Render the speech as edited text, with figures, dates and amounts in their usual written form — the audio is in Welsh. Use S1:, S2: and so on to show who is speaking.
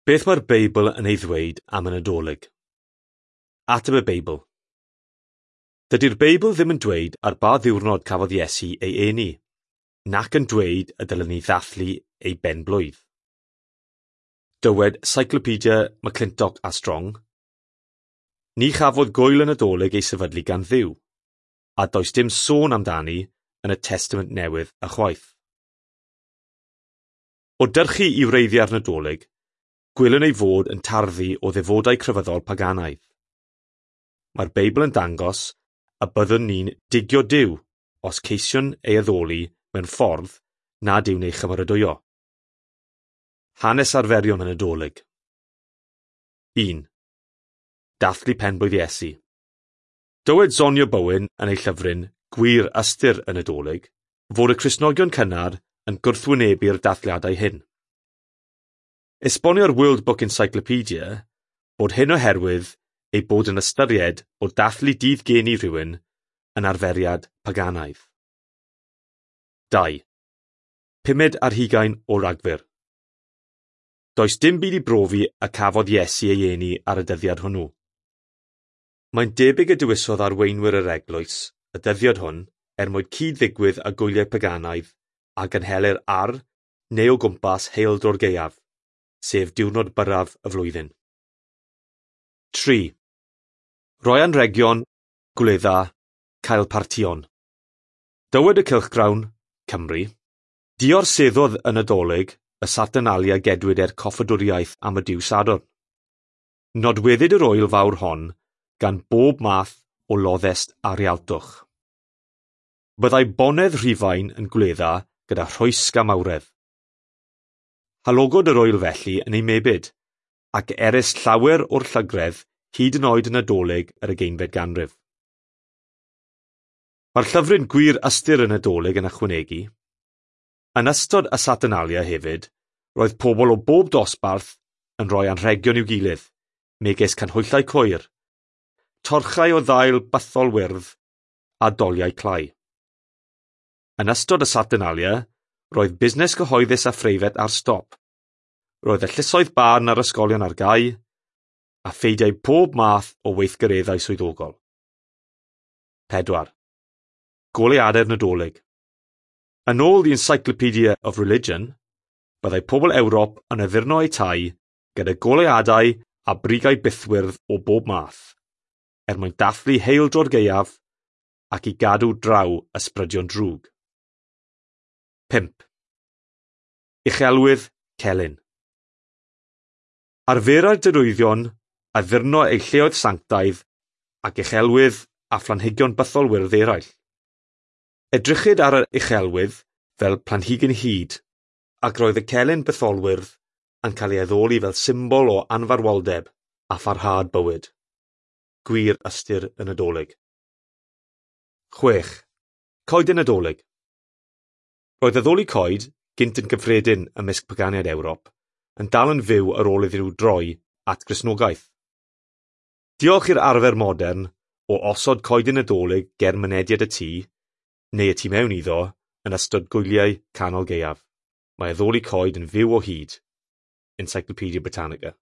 S1: Beth mae'r Beibl yn ei ddweud am y Nadolig? Ateb y Beibl. Dydy'r Beibl ddim yn dweud ar ba ddiwrnod cafodd Iesu ei eni, nac yn dweud y dylen ni ddathlu ei ben-blwydd. Dywed Cyclopedia McClintock a Strong, Ni chafodd gwyl y Nadolig ei sefydlu gan Dduw, a does dim sôn amdani yn y Testament Newydd ychwaith. O dyrchu i wreiddiau'r Nadolig, gwelwn ei fod yn tarddu o ddefodau crefyddol paganaidd. Mae'r Beibl yn dangos y byddwn ni'n digio Duw os ceisiwn ei addoli mewn ffordd nad yw'n ei chymeradwyo. Hanes arferion y Nadolig. 1. Dathlu penblwydd Iesu. Dywed Sonia Bowen yn ei llyfryn Gwir Ystyr y Nadolig fod y Cristnogion cynnar yn gwrthwynebu'r dathliadau hyn. Esbonio'r World Book Encyclopedia bod hyn oherwydd ei bod yn ystyried bod dathlu dydd geni rhywun yn arferiad paganaidd. 2. 25 o Ragfyr. Does dim byd i brofi y cafodd Iesu ei eni ar y dyddiad hwnnw. Mae'n debyg y dewisodd arweinwyr yr eglwys y dyddiad hwn er mwyn cyd-ddigwydd â gwyliau paganaidd a gynhelir ar neu o gwmpas Heol Gaeaf, sef diwrnod byrraf y flwyddyn. 3. Rhoi anrhegion, gwledda, cael partïon. Dywed y cylchgrawn, Cymru, diorseddodd y Nadolig y Saturnalia gedwid er coffadwriaeth am y Duw Sadwrn. Nodweddid yr ŵyl fawr hon gan bob math o loddest a rhialtwch. Byddai bonedd Rhufain yn gwledda gyda rhwysg a mawredd. Halogod yr ŵyl felly yn ei mebyd, ac erys llawer o'r llygredd hyd yn oed yn Nadolig yr ugeinfed ganrif. Mae'r llyfryn Gwir Ystyr y Nadolig yn ychwanegu, yn ystod y Saturnalia hefyd, roedd pobl o bob dosbarth yn rhoi anrhegion i'w gilydd, megis canhwyllau cwyr, torchau o ddail bythol wyrdd a doliau clai. Yn ystod y Saturnalia, roedd busnes cyhoeddus a phreifat ar stop. Roedd y llysoedd barn a'r ysgolion ar gau, a pheidiau pob math o weithgareddau swyddogol. 4. Goleuadau'r Nadolig. Yn ôl The Encyclopedia of Religion, byddai pobl Ewrop yn addurno eu tai gyda goleuadau a brigau bythwyrdd o bob math, er mwyn dathlu heildro'r gaeaf ac i gadw draw ysbrydion drwg. 5. Uchelwydd Celyn. Arferai'r derwyddion addurno eu lleoedd sanctaidd ac uchelwydd a phlanhigion bytholwyrdd eraill. Edrychid ar yr uchelwydd fel planhigyn hud, ac roedd y celyn bytholwyrdd yn cael ei addoli fel symbol o anfarwoldeb a pharhad bywyd. Gwir ystyr y Nadolig. 6. Coeden Nadolig. Roedd addoli coed, gynt yn gyffredin ymysg paganiaid Ewrop, yn dal yn fyw ar ôl iddyn nhw droi at Gristnogaeth. Diolch i'r arfer modern o osod coeden Nadolig ger mynediad y tŷ, neu y tu mewn iddo, yn ystod gwyliau canol gaeaf, mae addoli coed yn fyw o hyd. Encyclopedia Britannica.